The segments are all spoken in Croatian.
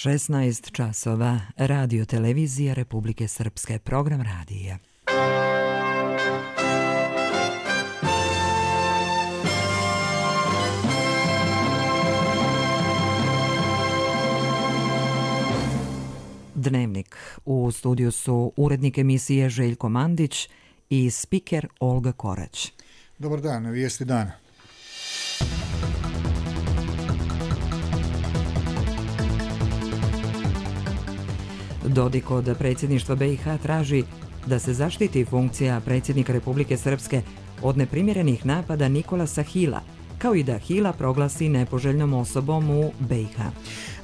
16 časova, Radio Televizija Republike Srpske, program radija. Dnevnik. U studiju su urednik emisije Željko Mandić i spiker Olga Korać. Dobar dan, vijesti dana. Dodik od predsjedništva BiH traži da se zaštiti funkcija predsjednika Republike Srpske od neprimjerenih napada Nikolasa Hila, kao i da Hila proglasi nepoželjnom osobom u BiH.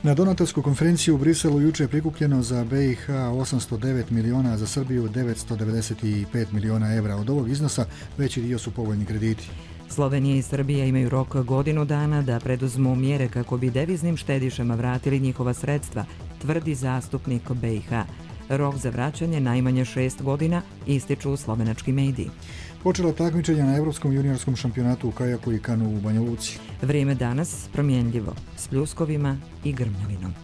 Na donatorsku konferenciju u Briselu juče je prikupljeno za BiH 809 miliona, a za Srbiju 995 miliona evra. Od ovog iznosa veći dio su povoljni krediti. Slovenija i Srbija imaju rok godinu dana da preduzmu mjere kako bi deviznim štedišama vratili njihova sredstva, tvrdi zastupnik BiH. Rok za vraćanje najmanje 6 godina, ističu slovenački mediji. Počela takmičenja na Evropskom juniorskom šampionatu u kajaku i kanu u Banja Luci. Vrijeme danas promjenljivo, s pljuskovima i grmljavinom.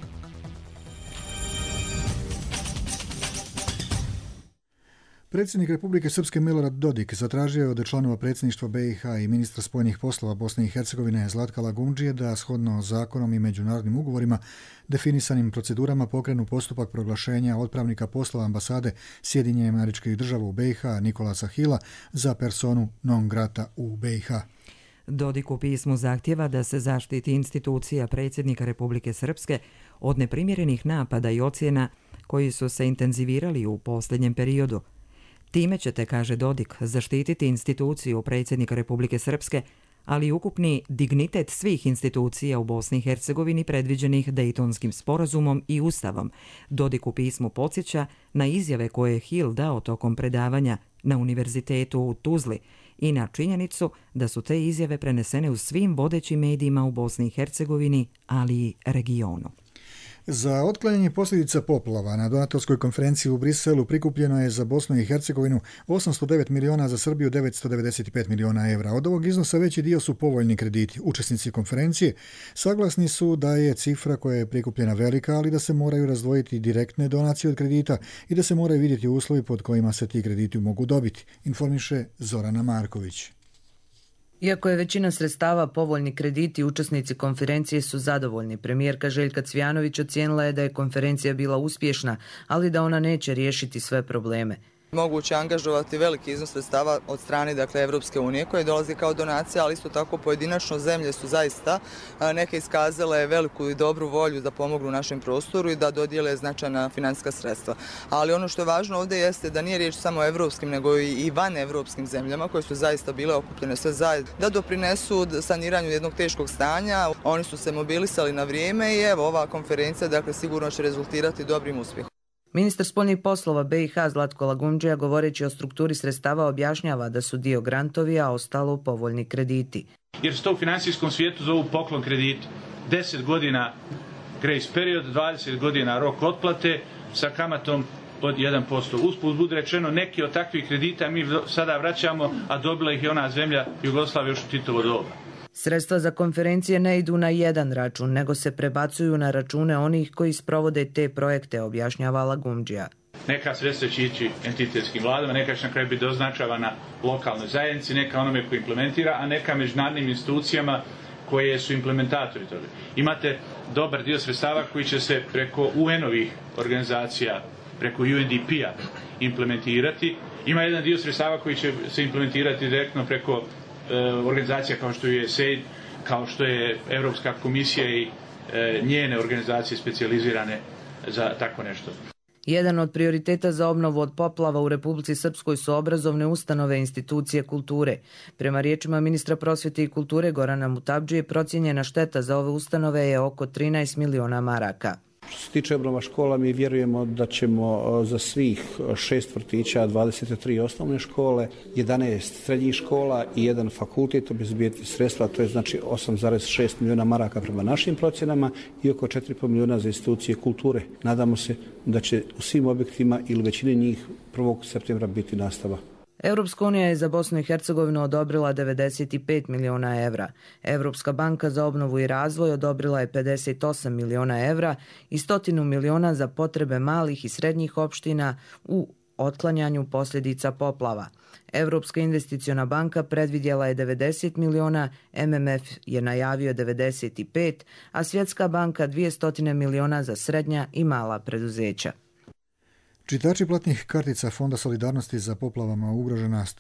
Predsjednik Republike Srpske Milorad Dodik zatražio je od članova predsjedništva BiH i ministra spojenih poslova Bosne i Hercegovine Zlatka Lagumdžije da shodno zakonom i međunarodnim ugovorima definisanim procedurama pokrenu postupak proglašenja otpravnika poslova ambasade Sjedinjenih Američkih Država u BiH Nikolasa Hila za personu non grata u BiH. Dodik u pismu zahtjeva da se zaštiti institucija predsjednika Republike Srpske od neprimjerenih napada i ocjena koji su se intenzivirali u posljednjem periodu. Time ćete, kaže Dodik, zaštititi instituciju predsjednika Republike Srpske, ali i ukupni dignitet svih institucija u Bosni i Hercegovini predviđenih Dejtonskim sporazumom i Ustavom. Dodik u pismu podsjeća na izjave koje je Hil dao tokom predavanja na univerzitetu u Tuzli i na činjenicu da su te izjave prenesene u svim vodećim medijima u Bosni i Hercegovini, ali i regionu. Za otklanjanje posljedica poplava na donatorskoj konferenciji u Briselu prikupljeno je za Bosnu i Hercegovinu 809 miliona, za Srbiju 995 miliona evra. Od ovog iznosa veći dio su povoljni krediti. Učesnici konferencije saglasni su da je cifra koja je prikupljena velika, ali da se moraju razdvojiti direktne donacije od kredita i da se moraju vidjeti uslovi pod kojima se ti krediti mogu dobiti, informiše Zorana Marković. Iako je većina sredstava povoljni krediti, učesnici konferencije su zadovoljni. Premijerka Željka Cvjanović ocijenila je da je konferencija bila uspješna, ali da ona neće riješiti sve probleme. Moguće angažovati veliki iznos sredstava od strane Evropske unije koje dolazi kao donacija, ali isto tako pojedinačno zemlje su zaista neke iskazale veliku i dobru volju da pomognu našem prostoru i da dodijele značajna financijska sredstva. Ali ono što je važno ovdje jeste da nije riječ samo o evropskim, nego i van evropskim zemljama koje su zaista bile okupljene sve zajedno da doprinesu saniranju jednog teškog stanja. Oni su se mobilisali na vrijeme i evo ova konferencija sigurno će rezultirati dobrim uspjehom. Ministar spoljnih poslova BiH Zlatko Lagumdžija, govoreći o strukturi sredstava, objašnjava da su dio grantovi, a ostalo povoljni krediti. Jer se to u financijskom svijetu zovu poklon krediti. 10 godina grace period, 20 godina rok otplate sa kamatom od 1%. Usput bude rečeno, neki od takvih kredita mi sada vraćamo, a dobila ih je ona zemlja Jugoslavija još u Titovo doba. Sredstva za konferencije ne idu na jedan račun, nego se prebacuju na račune onih koji sprovode te projekte, objašnjava Lagumdžija. Neka sredstva će ići entitetskim vladama, neka će na kraju biti doznačavana lokalnoj zajednici, neka onome koji implementira, a neka međunarodnim institucijama koje su implementatori toga. Imate dobar dio sredstava koji će se preko UN-ovih organizacija, preko UNDP-a implementirati. Ima jedan dio sredstava koji će se implementirati direktno preko organizacija kao što je USAID, kao što je Europska komisija i njene organizacije specijalizirane za tako nešto. Jedan od prioriteta za obnovu od poplava u Republici Srpskoj su obrazovne ustanove i institucije kulture. Prema riječima ministra prosvjete i kulture Gorana Mutabdžije, procijenjena šteta za ove ustanove je oko 13 miliona maraka. Što se tiče obnova škola, mi vjerujemo da ćemo za svih 6 vrtića, 23 osnovne škole, 11 srednjih škola i jedan fakultet obezbijeti sredstva, to je znači 8,6 milijuna maraka prema našim procjenama i oko 4,5 milijuna za institucije kulture. Nadamo se da će u svim objektima ili većini njih 1. septembra biti nastava. Europska unija je za Bosnu i Hercegovinu odobrila 95 miliona evra. Europska banka za obnovu i razvoj odobrila je 58 miliona evra i 100 miliona za potrebe malih i srednjih opština u otklanjanju posljedica poplava. Europska investiciona banka predvidjela je 90 miliona, MMF je najavio 95, a Svjetska banka 200 miliona za srednja i mala preduzeća. Čitači platnih kartica Fonda solidarnosti za poplavama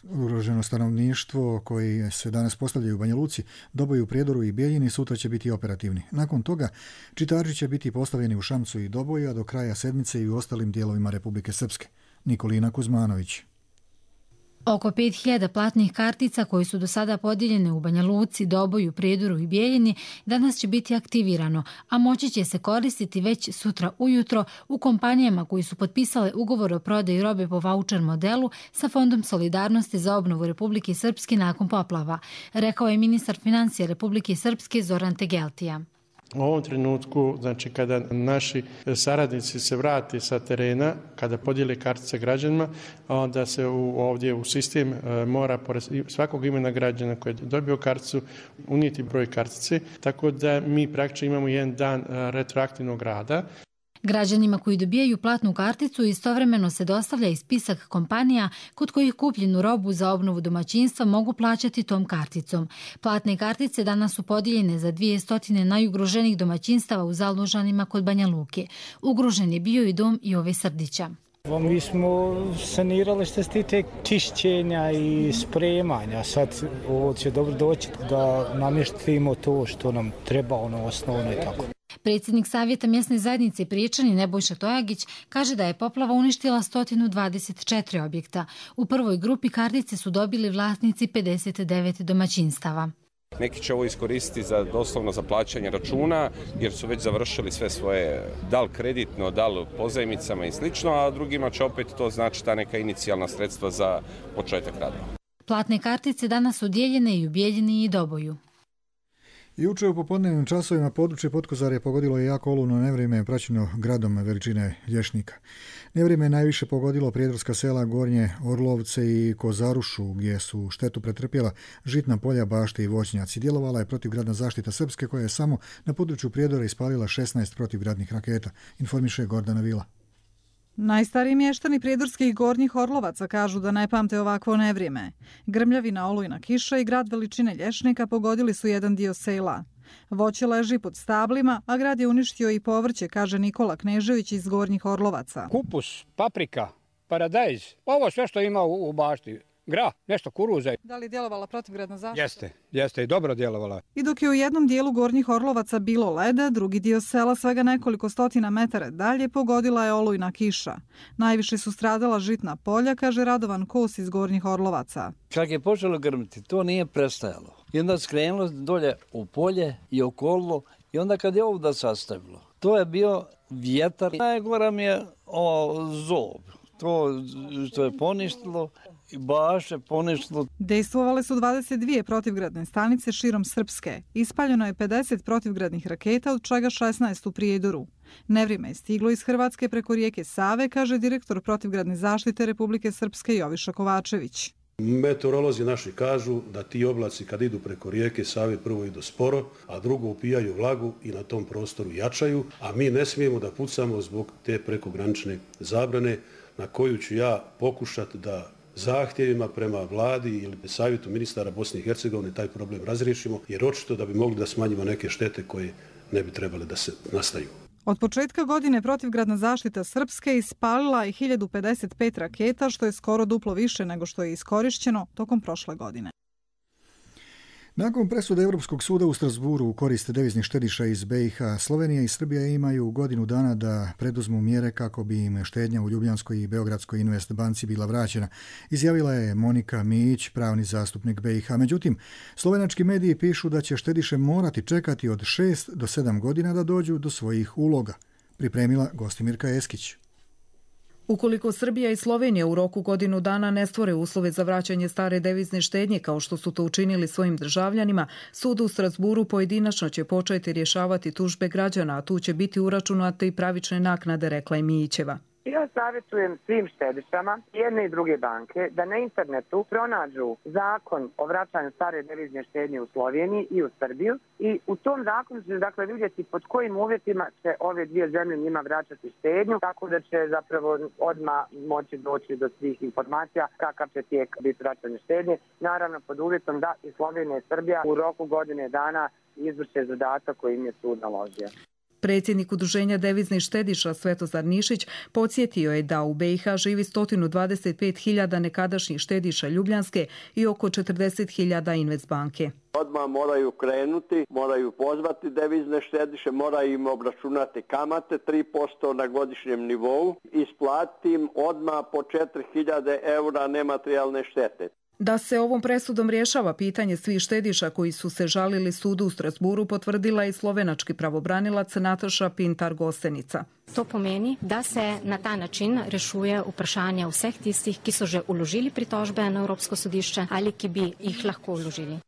ugroženo stanovništvo koji se danas postavljaju u Banja Luci, Doboju, u Prijedoru i Bijeljini sutra će biti operativni. Nakon toga čitači će biti postavljeni u Šamcu i Doboju, a do kraja sedmice i u ostalim dijelovima Republike Srpske. Nikolina Kuzmanović. Oko 5000 platnih kartica koji su do sada podijeljene u Banja Luci, Doboju, Prijedoru i Bijeljini danas će biti aktivirano, a moći će se koristiti već sutra ujutro u kompanijama koji su potpisale ugovor o prodaji robe po vaučer modelu sa Fondom solidarnosti za obnovu Republike Srpske nakon poplava, rekao je ministar financija Republike Srpske Zoran Tegeltija. U ovom trenutku, znači kada naši saradnici se vrate sa terena, kada podijele kartice građanima, onda se ovdje u sistem mora pored svakog imena građana koji je dobio karticu unijeti broj kartice, tako da mi praktično imamo jedan dan retroaktivnog rada. Građanima koji dobijaju platnu karticu istovremeno se dostavlja i spisak kompanija kod kojih kupljenu robu za obnovu domaćinstva mogu plaćati tom karticom. Platne kartice danas su podijeljene za 200 najugroženijih domaćinstava u Zalužanima kod Banja Luke. Ugrožen je bio i dom Jove Srdića. Mi smo sanirali što se tiče čišćenja i spremanja. Sad ovo će dobro doći da namještimo to što nam treba, osnovno i tako. Predsjednik Savjeta mjesne zajednice Priječani Nebojša Tojagić kaže da je poplava uništila 124 objekta. U prvoj grupi kartice su dobili vlasnici 59 domaćinstava. Neki će ovo iskoristiti doslovno za plaćanje računa jer su već završili sve svoje, da li kreditno, da li pozajmicama i slično, a drugima će opet to znači ta neka inicijalna sredstva za početak radova. Platne kartice danas su dijeljene i u Bijeljini i Doboju. Juče u popodnevnim časovima područje Potkozarja pogodilo je jako olujno nevrijeme praćeno gradom veličine Lješnika. Nevrijeme je najviše pogodilo prijedorska sela Gornje Orlovce i Kozarušu, gdje su štetu pretrpjela žitna polja, bašte i voćnjaci. Djelovala je protivgradna zaštita Srpske koja je samo na području Prijedora ispalila 16 protivgradnih raketa, informiše Gordana Vila. Najstariji mještani prijedorskih Gornjih Orlovaca kažu da ne pamte ovakvo nevrijeme. Grmljavina, olujna kiša i grad veličine Lješnika pogodili su jedan dio sela. Voće leži pod stablima, a grad je uništio i povrće, kaže Nikola Knežević iz Gornjih Orlovaca. Kupus, paprika, paradajz, ovo sve što ima u bašti. Grah, nešto kuruza. Da li je djelovala protivgradna zaštita? Jeste i dobro djelovala. I dok je u jednom dijelu Gornjih Orlovaca bilo leda, drugi dio sela svega nekoliko stotina metara dalje pogodila je olujna kiša. Najviše su stradala žitna polja, kaže Radovan Kos iz Gornjih Orlovaca. Kad je počelo grmiti, to nije prestajalo. I onda skrenulo dolje u polje i okolilo i onda kad je ovdje sastavilo. To je bio vjetar. Najgora mi je zob. To što je poništilo i baše poništilo. Dejstvovale su 22 protivgradne stanice širom Srpske. Ispaljeno je 50 protivgradnih raketa, od čega 16 u Prijedoru. Nevrijeme je stiglo iz Hrvatske preko rijeke Save, kaže direktor protivgradne zaštite Republike Srpske Joviša Kovačević. Meteorolozi naši kažu da ti oblaci kad idu preko rijeke Save prvo idu sporo, a drugo upijaju vlagu i na tom prostoru jačaju, a mi ne smijemo da pucamo zbog te prekogranične zabrane na koju ću ja pokušati da zahtjevima prema vladi ili savjetu ministara Bosne i Hercegovine taj problem razriješimo, jer očito da bi mogli da smanjimo neke štete koje ne bi trebale da se nastaju. Od početka godine protivgradna zaštita Srpske ispalila je 1055 raketa, što je skoro duplo više nego što je iskorišćeno tokom prošle godine. Nakon presude Europskog suda u Strasburu u korist deviznih štediša iz BiH, Slovenija i Srbija imaju godinu dana da preduzmu mjere kako bi im štednja u Ljubljanskoj i Beogradskoj Invest banci bila vraćena, izjavila je Monika Mijić, pravni zastupnik BiH. Međutim, slovenački mediji pišu da će štediše morati čekati od 6 do 7 godina da dođu do svojih uloga, pripremila Gostimirka Eskić. Ukoliko Srbija i Slovenija u roku godinu dana ne stvore uslove za vraćanje stare devizne štednje kao što su to učinili svojim državljanima, sud u Strasburu pojedinačno će početi rješavati tužbe građana, a tu će biti uračunate i pravične naknade, rekla je Mijićeva. Ja savjetujem svim štedišama jedne i druge banke da na internetu pronađu zakon o vraćanju stare devizne štednje u Sloveniji i u Srbiju i u tom zakonu će dakle vidjeti pod kojim uvjetima će ove dvije zemlje njima vraćati štednju, tako da će zapravo odmah moći doći do svih informacija kakav će tijek biti vraćanje štednje. Naravno pod uvjetom da i Slovenija i Srbija u roku godine dana izvrše zadatak koji im je sud naložio. Predsjednik Udruženja deviznih štediša Svetozar Nišić podsjetio je da u BiH živi 125.000 nekadašnjih štediša Ljubljanske i oko 40.000 Investbanke. Odmah moraju krenuti, moraju pozvati devizne štediše, moraju im obračunati kamate 3% na godišnjem nivou, isplatiti im odmah po 4.000 eura nematerijalne štete. Da se ovom presudom rješava pitanje svih štediša koji su se žalili sudu u Strasburu, potvrdila i slovenački pravobranilac Nataša Pintar-Gosenica. To pomeni, da se na ta način rešuje vprašanje vseh tistih, ki so že uložili pritožbe na Evropsko sodišče ali ki bi jih lahko uložili.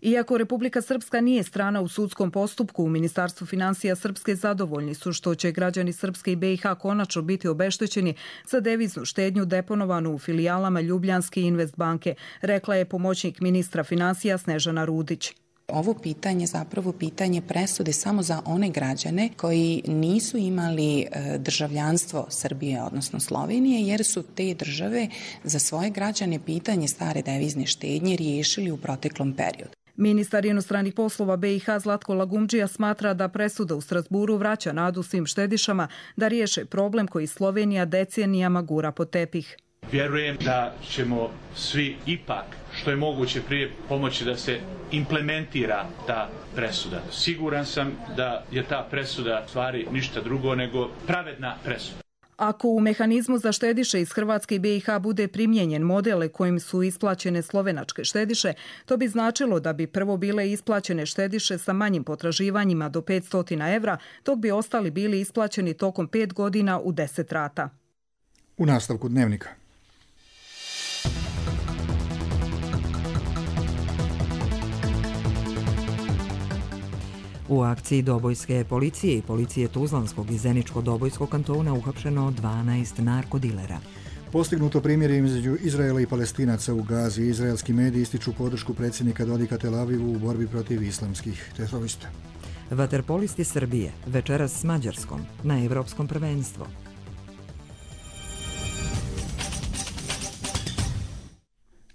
Iako Republika Srpska nije strana u sudskom postupku, u Ministarstvu financija Srpske zadovoljni su što će građani Srpske i BiH konačno biti obeštećeni za deviznu štednju deponovanu u filijalama Ljubljanske i Investbanke, rekla je pomoćnik ministra financija Snežana Rudić. Ovo pitanje zapravo pitanje presude samo za one građane koji nisu imali državljanstvo Srbije, odnosno Slovenije, jer su te države za svoje građane pitanje stare devizne štednje riješili u proteklom periodu. Ministar inostranih poslova BiH Zlatko Lagumdžija smatra da presuda u Strasburu vraća nadu svim štedišama da riješe problem koji Slovenija decenijama gura pod tepih. Vjerujem da ćemo svi ipak što je moguće prije pomoći da se implementira ta presuda. Siguran sam da je ta presuda stvari ništa drugo nego pravedna presuda. Ako u mehanizmu za štediše iz Hrvatske i BiH bude primijenjen model kojim su isplaćene slovenačke štediše, to bi značilo da bi prvo bile isplaćene štediše sa manjim potraživanjima do 500 evra, dok bi ostali bili isplaćeni tokom 5 godina u 10 rata. U nastavku dnevnika. U akciji Dobojske policije i policije Tuzlanskog i Zeničko-Dobojskog kantona uhapšeno 12 narkodilera. Postignuto primjere između Izraela i Palestinaca u Gazi. Izraelski mediji ističu podršku predsjednika Dodika Tel Avivu u borbi protiv islamskih terorista. Vaterpolisti Srbije večeras s Mađarskom na Evropskom prvenstvu.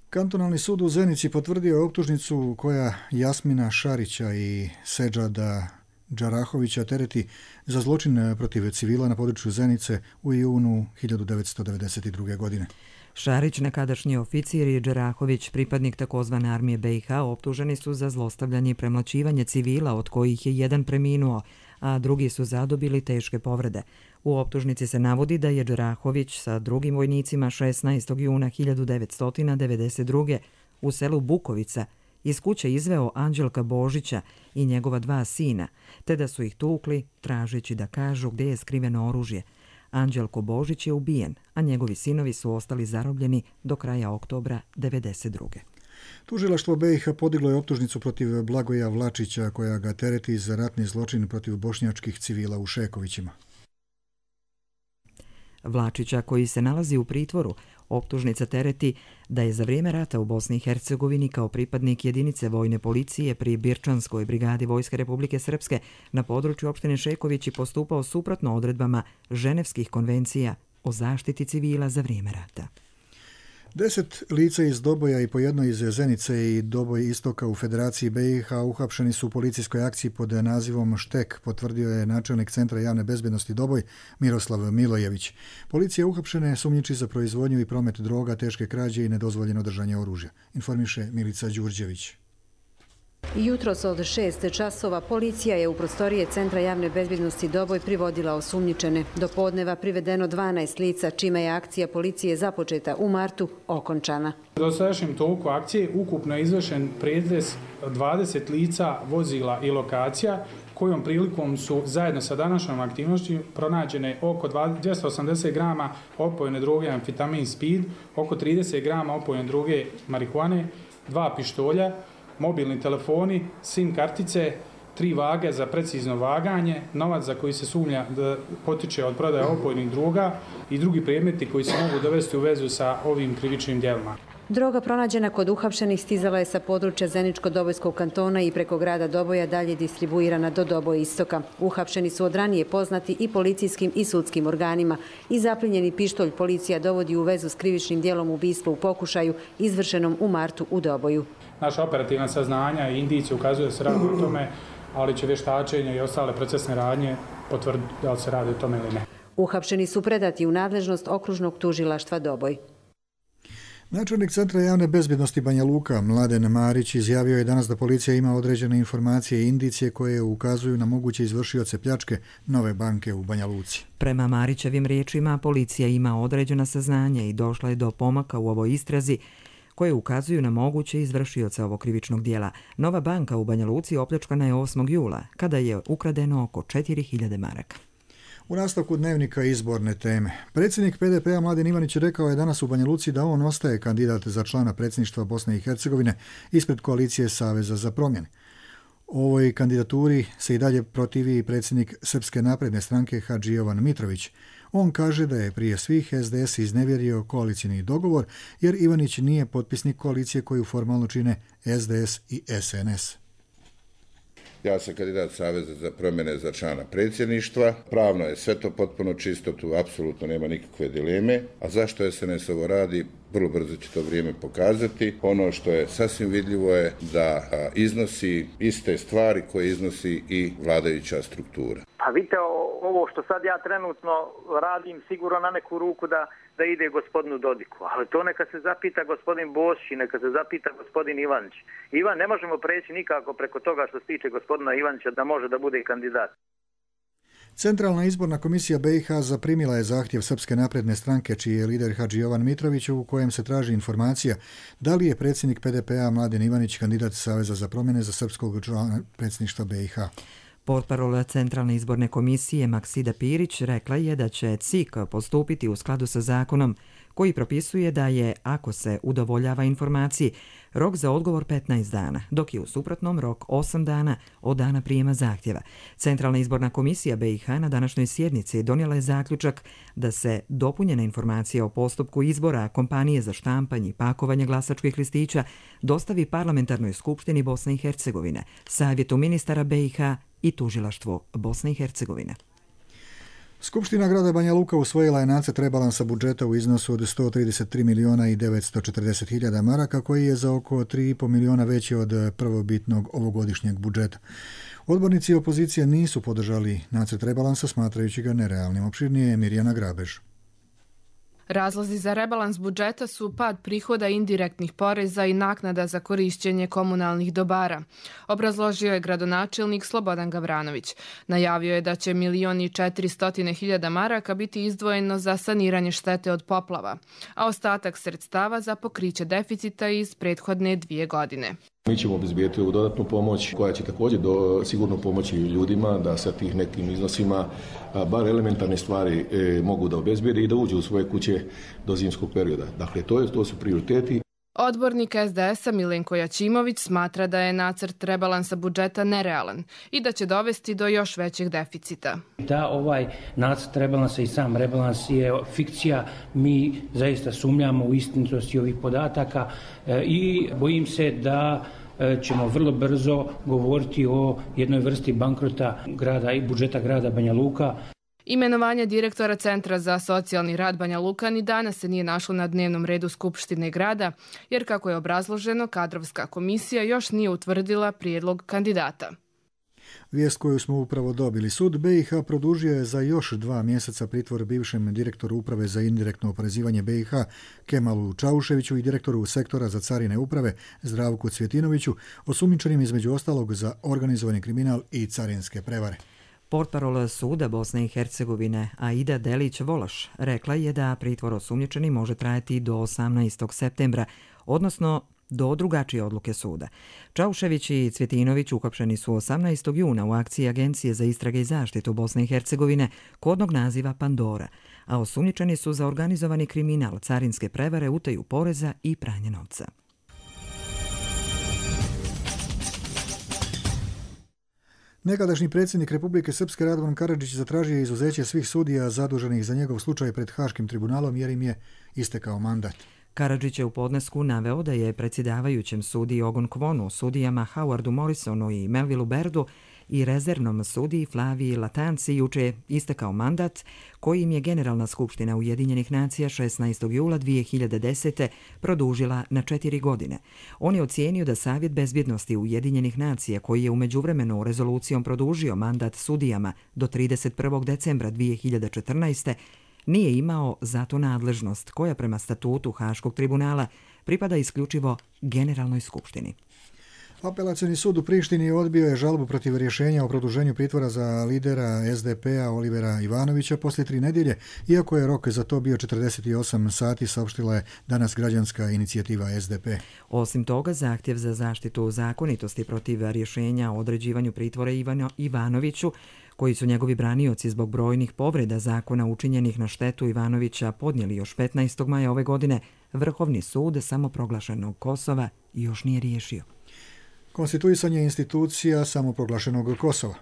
Kantonalni sud u Zenici potvrdio je optužnicu koja Jasmina Šarića i Seđada Džarahovića tereti za zločin protiv civila na području Zenice u junu 1992. godine. Šarić, nekadašnji oficir i Džarahović, pripadnik takozvane armije BiH, optuženi su za zlostavljanje i premlaćivanje civila, od kojih je jedan preminuo, a drugi su zadobili teške povrede. U optužnici se navodi da je Džarahović sa drugim vojnicima 16. juna 1992. u selu Bukovica iz kuće izveo Anđelka Božića i njegova 2 sina, te da su ih tukli tražeći da kažu gdje je skriveno oružje. Anđelko Božić je ubijen, a njegovi sinovi su ostali zarobljeni do kraja oktobra 1992. Tužilaštvo BiH podiglo je optužnicu protiv Blagoja Vlačića koja ga tereti za ratni zločin protiv bošnjačkih civila u Šekovićima. Vlačića, koji se nalazi u pritvoru, optužnica tereti da je za vrijeme rata u Bosni i Hercegovini kao pripadnik jedinice vojne policije pri Birčanskoj brigadi Vojske Republike Srpske na području opštine Šekovići postupao suprotno odredbama Ženevskih konvencija o zaštiti civila za vrijeme rata. 10 lica iz Doboja i po jedno iz Zenice i Doboj istoka u Federaciji BiH uhapšeni su u policijskoj akciji pod nazivom Štek, potvrdio je načelnik Centra javne bezbednosti Doboj Miroslav Milojević. Policija uhapšene sumnjiči za proizvodnju i promet droga, teške krađe i nedozvoljeno držanje oružja, informiše Milica Đurđević. Jutros od 6 časova policija je u prostorije Centra javne bezbednosti Doboj privodila osumnjičene. Do podneva privedeno 12 lica, čime je akcija policije započeta u martu okončana. Do sadašnjem toku akcije ukupno je izvršen pretres 20 lica, vozila i lokacija, kojom prilikom su zajedno sa današnjom aktivnošću pronađene oko 280 grama opojne droge amfetamin speed, oko 30 grama opojne droge marihuane, 2 pištolja, mobilni telefoni, SIM kartice, 3 vage za precizno vaganje, novac za koji se sumnja da potiče od prodaje opojnih droga i drugi predmeti koji se mogu dovesti u vezu sa ovim krivičnim djelima. Droga pronađena kod uhapšenih stizala je sa područja Zeničko-Dobojskog kantona i preko grada Doboja dalje distribuirana do Doboja istoka. Uhapšeni su od ranije poznati i policijskim i sudskim organima i zaplinjeni pištolj policija dovodi u vezu s krivičnim djelom ubistva u pokušaju izvršenom u martu u Doboju. Naša operativna saznanja i indicije ukazuju da se radi o tome, ali će vještačenje i ostale procesne radnje potvrditi da li se radi o tome ili ne. Uhapšeni su predati u nadležnost okružnog tužilaštva Doboj. Načelnik Centra javne bezbjednosti Banja Luka, Mladen Marić, izjavio je danas da policija ima određene informacije i indicije koje ukazuju na moguće izvršioce pljačke Nove banke u Banja Luci. Prema Marićevim riječima, policija ima određena saznanja i došla je do pomaka u ovoj istrazi koje ukazuju na moguće izvršioce ovog krivičnog dijela. Nova banka u Banja Luci opljačkana je 8. jula, kada je ukradeno oko 4000 maraka. U nastavku dnevnika izborne teme. Predsjednik PDP-a Mladen Ivanić rekao je danas u Banja Luci da on ostaje kandidat za člana predsjedništva Bosne i Hercegovine ispred koalicije Saveza za promjene. Ovoj kandidaturi se i dalje protivi predsjednik Srpske napredne stranke Hadži Jovan Mitrović. On kaže da je prije svih SDS iznevjerio koalicijni dogovor jer Ivanić nije potpisnik koalicije koju formalno čine SDS i SNS. Ja sam kandidat Saveza za promjene za člana predsjedništva. Pravno je sve to potpuno čisto, tu apsolutno nema nikakve dileme. A zašto SNS ovo radi, vrlo brzo će to vrijeme pokazati. Ono što je sasvim vidljivo je da iznosi iste stvari koje iznosi i vladajuća struktura. Pa vidite, ovo što sad ja trenutno radim sigurno na neku ruku da ide gospodinu Dodiku, ali to neka se zapita gospodin Bosić i neka se zapita gospodin Ivanić. Ivan, ne možemo preći nikako preko toga što se tiče gospodina Ivanića da može da bude kandidat. Centralna izborna komisija BiH zaprimila je zahtjev Srpske napredne stranke, čiji je lider Hadži Jovan Mitrović, u kojem se traži informacija da li je predsjednik PDP-a Mladen Ivanić kandidat Saveza za promjene za srpskog člana predsjedništva BiH. Portparol Centralne izborne komisije Maksida Pirić rekla je da će CIK postupiti u skladu sa zakonom koji propisuje da je, ako se udovoljava informaciji, rok za odgovor 15 dana, dok je u suprotnom rok 8 dana od dana prijema zahtjeva. Centralna izborna komisija BiH na današnjoj sjednici donijela je zaključak da se dopunjena informacija o postupku izbora kompanije za štampanje i pakovanje glasačkih listića dostavi Parlamentarnoj skupštini Bosne i Hercegovine, Savjetu ministara BiH i Tužilaštvu Bosne i Hercegovine. Skupština grada Banja Luka usvojila je nacrt rebalansa budžeta u iznosu od 133 miliona i 940 hiljada maraka, koji je za oko 3,5 miliona veći od prvobitnog ovogodišnjeg budžeta. Odbornici opozicije nisu podržali nacrt rebalansa, smatrajući ga nerealnim. Opširnije je Mirjana Grabež. Razlozi za rebalans budžeta su pad prihoda indirektnih poreza i naknada za korišćenje komunalnih dobara. Obrazložio je gradonačelnik Slobodan Gavranović. Najavio je da će 1.400.000 maraka biti izdvojeno za saniranje štete od poplava, a ostatak sredstava za pokriće deficita iz prethodne 2 godine. Mi ćemo obezbijeti ovu dodatnu pomoć koja će također sigurno pomoći ljudima da sa tih nekim iznosima bar elementarne stvari mogu da obezbijede i da uđu u svoje kuće do zimskog perioda. Dakle, to su prioriteti. Odbornik SDS-a Milenko Jačimović smatra da je nacrt rebalansa budžeta nerealan i da će dovesti do još većeg deficita. Da, ovaj nacrt rebalansa i sam rebalans je fikcija. Mi zaista sumnjamo u istinitosti ovih podataka i bojim se da ćemo vrlo brzo govoriti o jednoj vrsti bankrota grada i budžeta grada Banja Luka. Imenovanje direktora Centra za socijalni rad Banja Luka ni danas se nije našlo na dnevnom redu Skupštine grada, jer kako je obrazloženo, kadrovska komisija još nije utvrdila prijedlog kandidata. Vijest koju smo upravo dobili. Sud BiH produžio je za još 2 mjeseca pritvor bivšem direktoru Uprave za indirektno oporezivanje BiH Kemalu Čauševiću i direktoru Sektora za carine uprave Zdravku Cvjetinoviću, osumnjičenim između ostalog za organizovani kriminal i carinske prevare. Portparol suda Bosne i Hercegovine Aida Delić-Volaš rekla je da pritvor osumnjičeni može trajati do 18. septembra, odnosno do drugačije odluke suda. Čaušević i Cvjetinović uhapšeni su 18. juna u akciji Agencije za istrage i zaštitu Bosne i Hercegovine kodnog naziva Pandora, a osumnjičeni su za organizovani kriminal, carinske prevare, utaju poreza i pranje novca. Nekadašnji predsjednik Republike Srpske Radovan Karadžić zatražio je izuzeće svih sudija zaduženih za njegov slučaj pred Haškim tribunalom jer im je istekao mandat. Karadžić je u podnesku naveo da je predsjedavajućem sudiji Ogon Kvonu, sudijama Howardu Morrisonu i Melvillu Berdu i rezervnom sudiji Flaviji Latanci juče istekao mandat koji im je Generalna skupština Ujedinjenih nacija 16. jula 2010. produžila na 4 godine. On je ocijenio da Savjet bezbjednosti Ujedinjenih nacija, koji je u međuvremenu rezolucijom produžio mandat sudijama do 31. decembra 2014. nije imao zato nadležnost koja prema statutu Haškog tribunala pripada isključivo Generalnoj skupštini. Apelacioni sud u Prištini odbio je žalbu protiv rješenja o produženju pritvora za lidera SDP-a Olivera Ivanovića poslije 3 nedjelje, iako je rok za to bio 48 sati, saopštila je danas građanska inicijativa SDP. Osim toga, zahtjev za zaštitu zakonitosti protiv rješenja o određivanju pritvora Ivanoviću, koji su njegovi branioci zbog brojnih povreda zakona učinjenih na štetu Ivanovića podnijeli još 15. maja ove godine, Vrhovni sud samoproglašenog Kosova još nije riješio. Konstituisanje institucija samoproglašenog Kosova.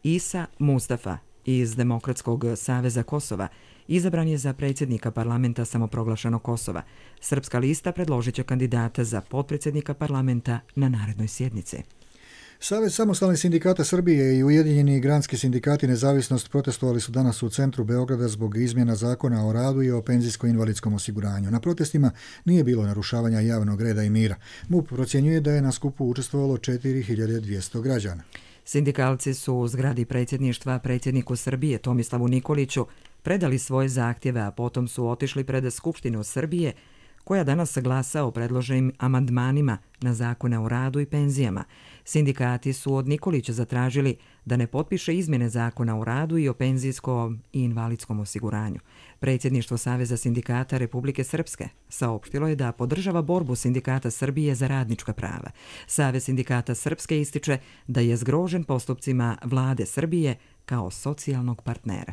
Isa Mustafa iz Demokratskog saveza Kosova izabran je za predsjednika parlamenta samoproglašenog Kosova. Srpska lista predložit će kandidata za potpredsjednika parlamenta na narednoj sjednici. Savez samostalnih sindikata Srbije i Ujedinjeni granski sindikati Nezavisnost protestovali su danas u centru Beograda zbog izmjena zakona o radu i o penzijsko-invalidskom osiguranju. Na protestima nije bilo narušavanja javnog reda i mira. MUP procjenjuje da je na skupu učestvovalo 4200 građana. Sindikalci su u zgradi predsjedništva predsjedniku Srbije Tomislavu Nikoliću predali svoje zahtjeve, a potom su otišli pred Skupštinu Srbije, koja danas glasa o predloženim amandmanima na zakone o radu i penzijama. Sindikati su od Nikolića zatražili da ne potpiše izmjene zakona o radu i o penzijskom i invalidskom osiguranju. Predsjedništvo Saveza sindikata Republike Srpske saopštilo je da podržava borbu Sindikata Srbije za radnička prava. Savez sindikata Srpske ističe da je zgrožen postupcima vlade Srbije kao socijalnog partnera.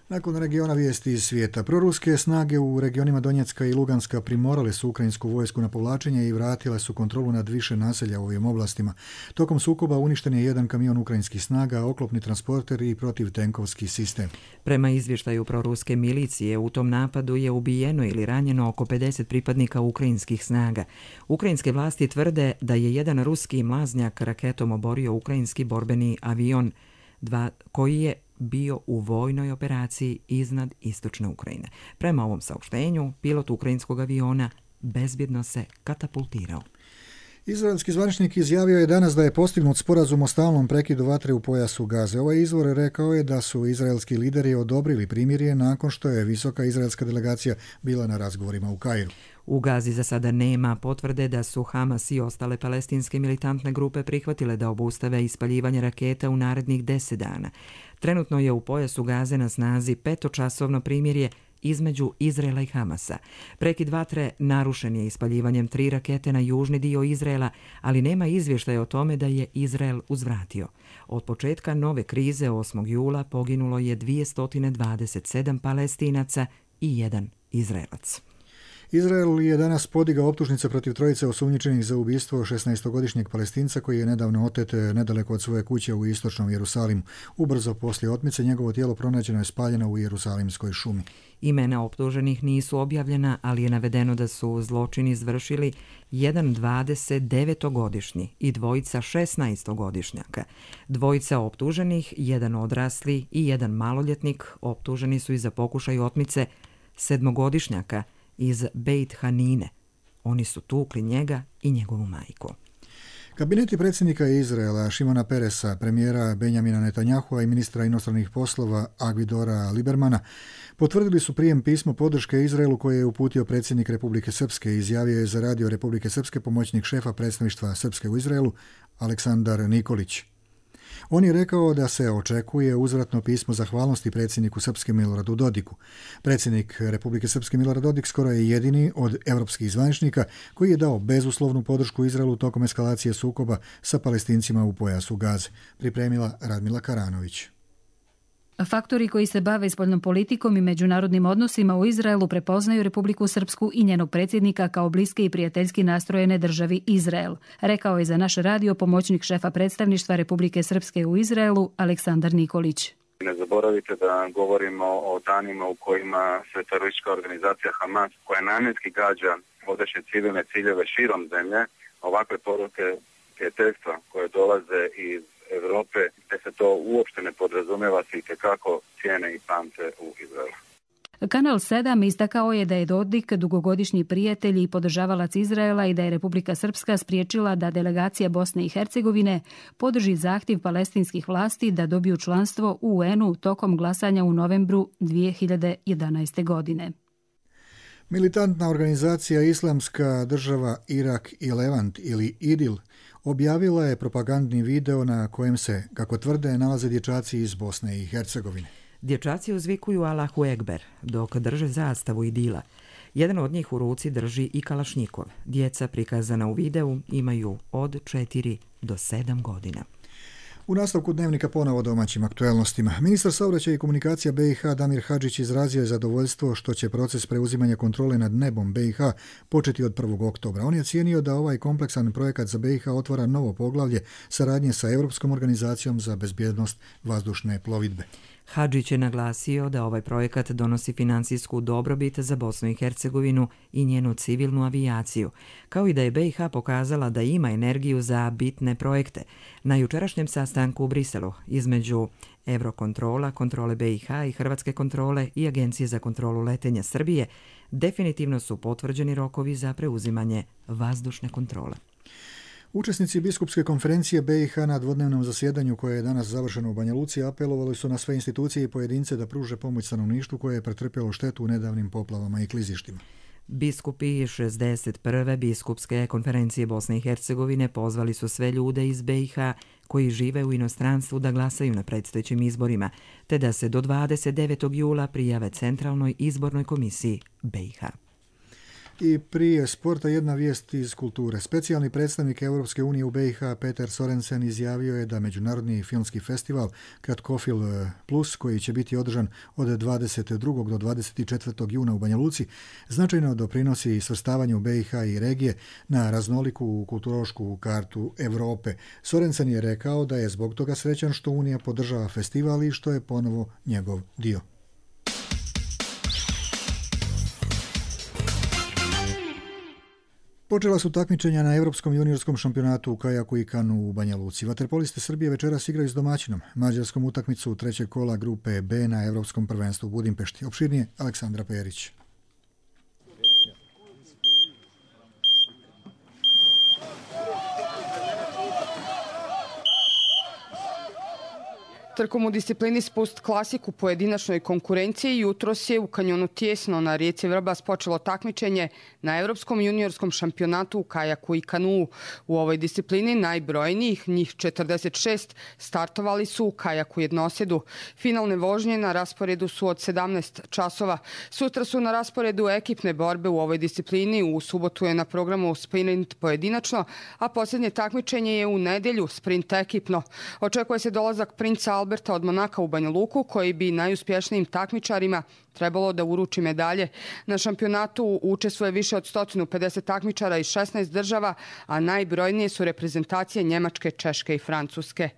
Nakon regiona vijesti iz svijeta, proruske snage u regionima Donjecka i Luganska primorale su ukrajinsku vojsku na povlačenje i vratile su kontrolu nad više naselja u ovim oblastima. Tokom sukoba uništen je jedan kamion ukrajinskih snaga, oklopni transporter i protivtenkovski sistem. Prema izvještaju proruske milicije, u tom napadu je ubijeno ili ranjeno oko 50 pripadnika ukrajinskih snaga. Ukrajinske vlasti tvrde da je jedan ruski mlaznjak raketom oborio ukrajinski borbeni avion koji je bio u vojnoj operaciji iznad istočne Ukrajine. Prema ovom saopštenju, pilot ukrajinskog aviona bezbjedno se katapultirao. Izraelski zvaničnik izjavio je danas da je postignut sporazum o stalnom prekidu vatre u pojasu Gaze. Ovaj izvor rekao je da su izraelski lideri odobrili primirje nakon što je visoka izraelska delegacija bila na razgovorima u Kairu. U Gazi za sada nema potvrde da su Hamas i ostale palestinske militantne grupe prihvatile da obustave ispaljivanje raketa u narednih 10 dana. Trenutno je u pojasu Gaze na snazi 5-časovno primirje između Izraela i Hamasa. Prekid vatre narušen je ispaljivanjem 3 rakete na južni dio Izraela, ali nema izvještaja o tome da je Izrael uzvratio. Od početka nove krize 8. jula poginulo je 227 Palestinaca i 1 Izraelac. Izrael je danas podigao optužnice protiv trojice osumnjičenih za ubistvo 16-godišnjeg Palestinca koji je nedavno otet nedaleko od svoje kuće u istočnom Jerusalimu. Ubrzo poslije otmice njegovo tijelo pronađeno je spaljeno u Jerusalimskoj šumi. Imena optuženih nisu objavljena, ali je navedeno da su zločin izvršili jedan 29-godišnji i dvojica 16-godišnjaka. Dvojica optuženih, jedan odrasli i jedan maloljetnik, optuženi su i za pokušaj otmice 7-godišnjaka iz Beit Hanine. Oni su tukli njega i njegovu majku. Kabineti predsjednika Izraela Šimona Peresa, premijera Benjamina Netanyahua i ministra inostranih poslova Agvidora Libermana potvrdili su prijem pismo podrške Izraelu koje je uputio predsjednik Republike Srpske. Izjavio je za radio Republike Srpske pomoćnik šefa predstavništva Srpske u Izraelu Aleksandar Nikolić. On je rekao da se očekuje uzvratno pismo zahvalnosti predsjedniku Srpske Miloradu Dodiku. Predsjednik Republike Srpske Milorad Dodik skoro je jedini od evropskih zvaničnika koji je dao bezuslovnu podršku Izraelu tokom eskalacije sukoba sa Palestincima u pojasu Gaze. Pripremila Radmila Karanović. Faktori koji se bave spoljnom politikom i međunarodnim odnosima u Izraelu prepoznaju Republiku Srpsku i njenog predsjednika kao bliske i prijateljski nastrojene državi Izrael, rekao je za naš radio pomoćnik šefa predstavništva Republike Srpske u Izraelu Aleksandar Nikolić. Ne zaboravite da govorimo o danima u kojima se teroristička organizacija Hamas, koja namjenski gađa vodeće civilne ciljeve širom zemlje, ovakve poruke prijateljstva koje dolaze iz Europe, gdje se to uopšte ne podrazumijeva, se itekako cijene i pamte u Izraelu. Kanal 7 istakao je da je Dodik dugogodišnji prijatelj i podržavalac Izraela i da je Republika Srpska spriječila da delegacija Bosne i Hercegovine podrži zahtjev palestinskih vlasti da dobiju članstvo u UN-u tokom glasanja u novembru 2011. godine. Militantna organizacija Islamska država Irak i Levant ili IDIL objavila je propagandni video na kojem se, kako tvrde, nalaze dječaci iz Bosne i Hercegovine. Dječaci uzvikuju Allahu Ekber dok drže zastavu IDIL-a. Jedan od njih u ruci drži i kalašnjikov. Djeca prikazana u videu imaju od 4 do 7 godina. U nastavku dnevnika ponovo domaćim aktuelnostima. Ministar saobraćaja i komunikacija BiH Damir Hadžić izrazio je zadovoljstvo što će proces preuzimanja kontrole nad nebom BiH početi od 1. oktobra. On je cijenio da ovaj kompleksan projekat za BiH otvara novo poglavlje saradnje sa Europskom organizacijom za bezbjednost vazdušne plovidbe. Hadžić je naglasio da ovaj projekat donosi financijsku dobrobit za Bosnu i Hercegovinu i njenu civilnu avijaciju, kao i da je BiH pokazala da ima energiju za bitne projekte. Na jučerašnjem sastanku u Briselu između Eurokontrola, kontrole BiH i Hrvatske kontrole i Agencije za kontrolu letenja Srbije definitivno su potvrđeni rokovi za preuzimanje vazdušne kontrole. Učesnici biskupske konferencije BiH na dvodnevnom zasjedanju koje je danas završeno u Banja Luci apelovali su na sve institucije i pojedince da pruže pomoć stanovništvu koje je pretrpjelo štetu u nedavnim poplavama i klizištima. Biskupi 61. biskupske konferencije Bosne i Hercegovine pozvali su sve ljude iz BiH koji žive u inostranstvu da glasaju na predstojećim izborima, te da se do 29. jula prijave Centralnoj izbornoj komisiji BiH. I prije sporta jedna vijest iz kulture. Specijalni predstavnik Europske unije u BiH Peter Sorensen izjavio je da Međunarodni filmski festival Kratkofil Plus, koji će biti održan od 22. do 24. juna u Banja Luci, značajno doprinosi svrstavanju BiH i regije na raznoliku kulturološku kartu Europe. Sorensen je rekao da je zbog toga srećan što Unija podržava festival i što je ponovo njegov dio. Počela su takmičenja na Europskom juniorskom šampionatu u kajaku i kanu u Banja Luci. Vaterpolisti Srbije večeras igraju s domaćinom mađarskom utakmicu trećeg kola grupe B na Europskom prvenstvu u Budimpešti. Opširnije Aleksandra Perić. Trkom u disciplini spust klasik u pojedinačnoj konkurenciji jutros je u kanjonu Tijesno na rijeci Vrbas počelo takmičenje na Europskom juniorskom šampionatu u kajaku i kanuu. U ovoj disciplini najbrojnijih, njih 46, startovali su u kajaku jednosjedu. Finalne vožnje na rasporedu su od 17 časova. Sutra su na rasporedu ekipne borbe u ovoj disciplini. U subotu je na programu sprint pojedinačno, a posljednje takmičenje je u nedjelju sprint ekipno. Očekuje se dolazak princa Alberta od Monaka u Banja Luku, koji bi najuspješnijim takmičarima trebalo da uruči medalje. Na šampionatu učestvuje više od 150 takmičara iz 16 država, a najbrojnije su reprezentacije Njemačke, Češke i Francuske.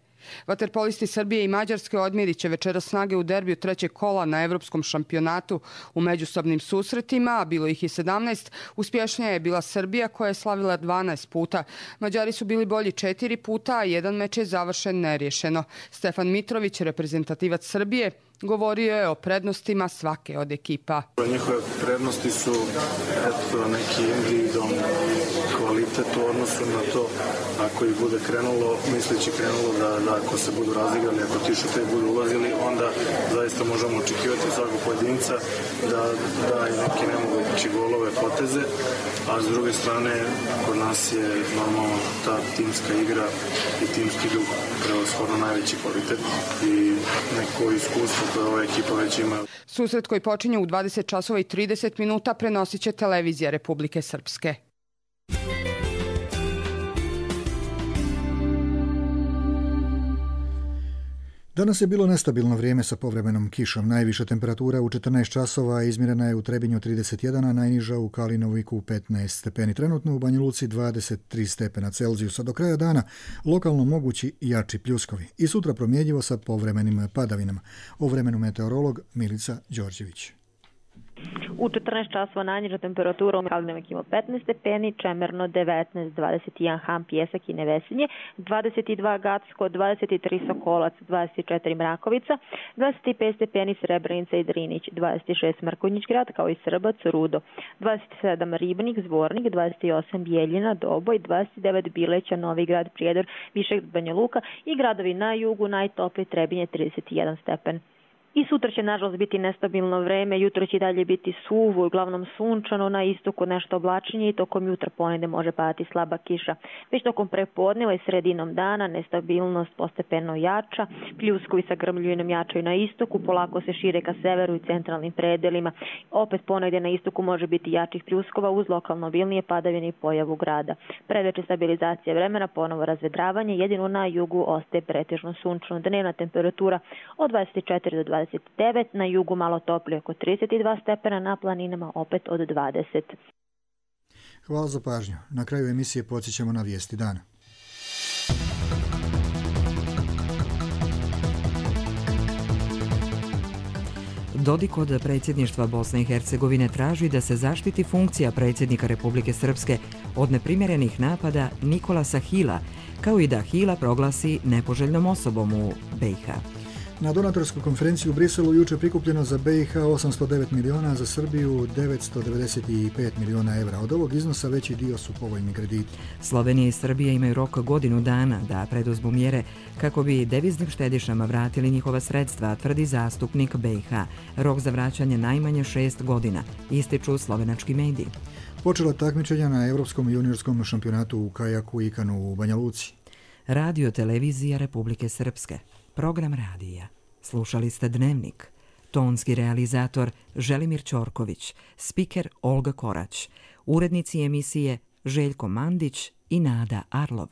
Vaterpolisti Srbije i Mađarske odmjerit će večeras snage u derbiju trećeg kola na Evropskom šampionatu. U međusobnim susretima, a bilo ih i 17, uspješnija je bila Srbija koja je slavila 12 puta. Mađari su bili bolji 4 puta, a jedan meč je završen neriješeno. Stefan Mitrović, reprezentativac Srbije, govorio je o prednostima svake od ekipa. Njihove prednosti su neki individualni kvalitet u odnosu na to ako ih bude krenulo, misleći krenulo da ako se budu razigrali, ako ti šutevi budu ulazili, onda zaista možemo očekivati svakog pojedinca da i neki nemogući golove poteze, a s druge strane kod nas je normalno ta timska igra i timski duh prevashodno najveći kvalitet i neko iskustvo koje ova ekipa već ima. Susret koji počinje u 20 časova i 30 minuta prenosit će televizija Republike Srpske. Danas je bilo nestabilno vrijeme sa povremenom kišom. Najviša temperatura u 14 časova izmjerena je u Trebinju 31, a najniža u Kalinoviku 15 stepeni. Trenutno u Banja Luci 23 stepena Celzijusa. Do kraja dana lokalno mogući jači pljuskovi. I sutra promjenjivo sa povremenim padavinama. O vremenu meteorolog Milica Đorđević. U 14 časova najniža temperatura u Kalinovik ima 15 stepeni, Čemerno 19, 21 Ham, Pjesak i Nevesinje, 22 Gacko, 23 Sokolac, 24 Mrakovica, 25 stepeni Srebrenica i Drinić, 26 Mrkonjić grad kao i Srbac, Rudo, 27 Ribnik, Zvornik, 28 Bijeljina, Doboj, 29 Bileća, Novi grad, Prijedor, Višeg, Banja Luka i gradovi na jugu najtopliji Trebinje 31 stepen. I sutra će nažalost biti nestabilno vreme, jutro će dalje biti suvo i uglavnom sunčano, na istoku nešto oblačenje i tokom jutra ponedje može padati slaba kiša. Već tokom prepodneva i sredinom dana nestabilnost postepeno jača, pljuskovi sa grmljuvinom jačaju na istoku, polako se šire ka severu i centralnim predelima. Opet ponegdje na istoku može biti jačih pljuskova uz lokalno obilnije padavine i pojavu grada. Predveče stabilizacija vremena, ponovo razvedravanje, jedino na jugu ostaje pretežno sunčano. Dnevna temperatura od 24 do 29, na jugu malo toplije oko 32 stepena, na planinama opet od 20. Hvala za pažnju. Na kraju emisije podsjećamo na vijesti dana. Dodik od predsjedništva Bosne i Hercegovine traži da se zaštiti funkcija predsjednika Republike Srpske od neprimjerenih napada Nikolasa Hila, kao i da Hila proglasi nepoželjnom osobom u BiH. Na donatorskoj konferenciji u Briselu jučer prikupljeno za BiH 809 miliona, za Srbiju 995 miliona evra. Od ovog iznosa veći dio su povoljni krediti. Slovenija i Srbija imaju rok godinu dana da preduzmu mjere kako bi deviznim štedišama vratili njihova sredstva, tvrdi zastupnik BiH. Rok za vraćanje najmanje 6 godina, ističu slovenački mediji. Počela takmičenja na Evropskom juniorskom šampionatu u kajaku i kanu u Banja Luci. Radio televizija Republike Srpske. Program radija. Slušali ste Dnevnik. Tonski realizator Želimir Ćorković, spiker Olga Korać, urednici emisije Željko Mandić i Nada Arlov.